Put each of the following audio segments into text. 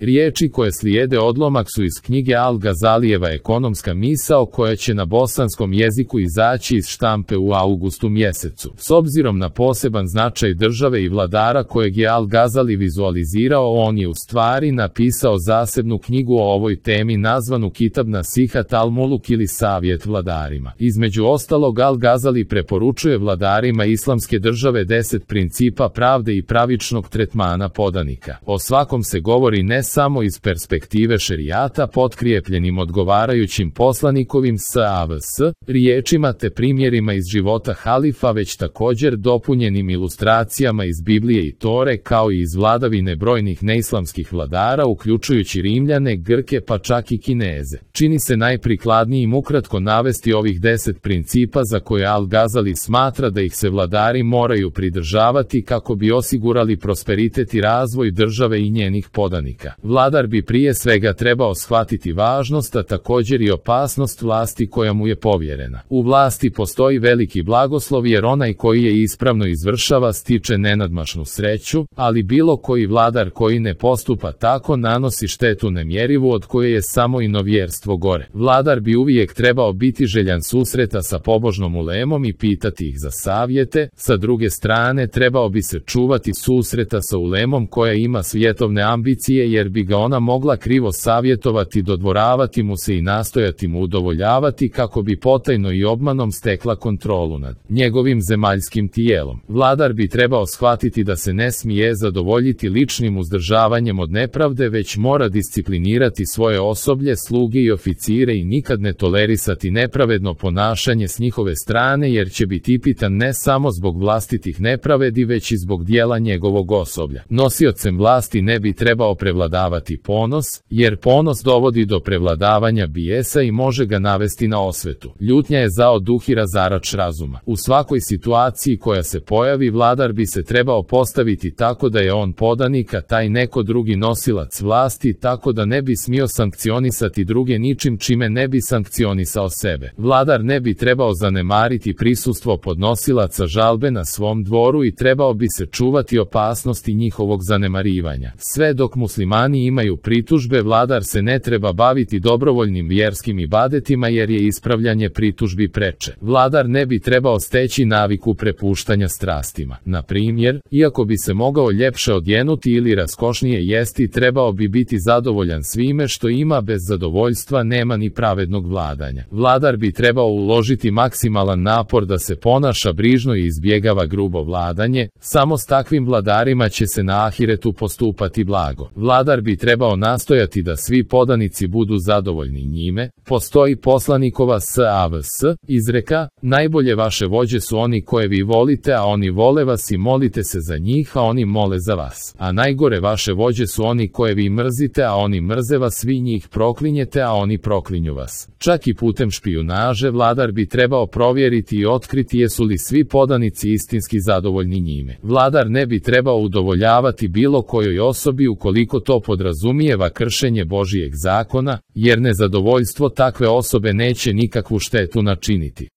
Riječi koje slijede odlomak su iz knjige Al-Gazalijeva Ekonomska misao koja će na bosanskom jeziku izaći iz štampe u avgustu mjesecu. S obzirom na poseban značaj države i vladara kojeg je Al-Gazali vizualizirao, on je u stvari napisao zasebnu knjigu o ovoj temi nazvanu Kitab Nasihat al-Muluk ili Savjet vladarima. Između ostalog, Al-Gazali preporučuje vladarima islamske države 10 principa pravde i pravičnog tretmana podanika. O svakom se govori ne samo iz perspektive šerijata potkrijepljenim odgovarajućim poslanikovim SAVS riječima te primjerima iz života halifa, već također dopunjenim ilustracijama iz Biblije i Tore, kao i iz vladavine brojnih neislamskih vladara uključujući Rimljane, Grke pa čak i Kineze. Čini se najprikladnijim ukratko navesti ovih 10 principa za koje Al-Gazali smatra da ih se vladari moraju pridržavati kako bi osigurali prosperitet i razvoj države i njenih podanika. Vladar bi prije svega trebao shvatiti važnost, a također i opasnost vlasti koja mu je povjerena. U vlasti postoji veliki blagoslov jer onaj koji je ispravno izvršava stiče nenadmašnu sreću, ali bilo koji vladar koji ne postupa tako nanosi štetu nemjerivu od koje je samo inovjerstvo gore. Vladar bi uvijek trebao biti željan susreta sa pobožnom ulemom i pitati ih za savjete, sa druge strane trebao bi se čuvati susreta sa ulemom koja ima svjetovne ambicije jer bi ga ona mogla krivo savjetovati, dodvoravati mu se i nastojati mu udovoljavati kako bi potajno i obmanom stekla kontrolu nad njegovim zemaljskim tijelom. Vladar bi trebao shvatiti da se ne smije zadovoljiti ličnim uzdržavanjem od nepravde, već mora disciplinirati svoje osoblje, sluge i oficire i nikad ne tolerisati nepravedno ponašanje s njihove strane jer će biti pitan ne samo zbog vlastitih nepravedi već i zbog dijela njegovog osoblja. Nosiocem vlasti ne bi trebao prevladavati ponos, jer ponos dovodi do prevladavanja bijesa i može ga navesti na osvetu. Ljutnja je zao duh i razarač razuma. U svakoj situaciji koja se pojavi, vladar bi se trebao postaviti tako da je on podanik, a taj neko drugi nosilac vlasti, tako da ne bi smio sankcionisati druge ničim čime ne bi sankcionisao sebe. Vladar ne bi trebao zanemariti prisustvo podnosilaca žalbe na svom dvoru i trebao bi se čuvati opasnosti njihovog zanemarivanja. Sve dok muslimani imaju pritužbe, vladar se ne treba baviti dobrovoljnim vjerskim ibadetima jer je ispravljanje pritužbi preče. Vladar ne bi trebao steći naviku prepuštanja strastima. Na primjer, iako bi se mogao ljepše odjenuti ili raskošnije jesti, trebao bi biti zadovoljan svime što ima, bez zadovoljstva nema ni pravednog vladanja. Vladar bi trebao uložiti maksimalan napor da se ponaša brižno i izbjegava grubo vladanje, samo s takvim vladarima će se na ahiretu postupati blago. Vladar bi trebao nastojati da svi podanici budu zadovoljni njime. Postoji poslanikova SAVS izreka: najbolje vaše vođe su oni koje vi volite, a oni vole vas i molite se za njih, a oni mole za vas. A najgore vaše vođe su oni koje vi mrzite, a oni mrze vas, vi njih proklinjete, a oni proklinju vas. Čak i putem špijunaže vladar bi trebao provjeriti i otkriti jesu li svi podanici istinski zadovoljni njime. Vladar ne bi trebao udovoljavati bilo kojoj osobi ukoliko to podrazumijeva kršenje Božijeg zakona, jer nezadovoljstvo takve osobe neće nikakvu štetu načiniti.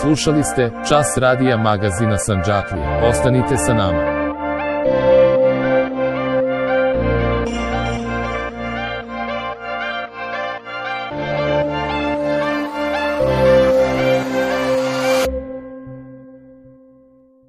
Slušali ste Čas radija magazina Sandžaklija. Ostanite sa nama.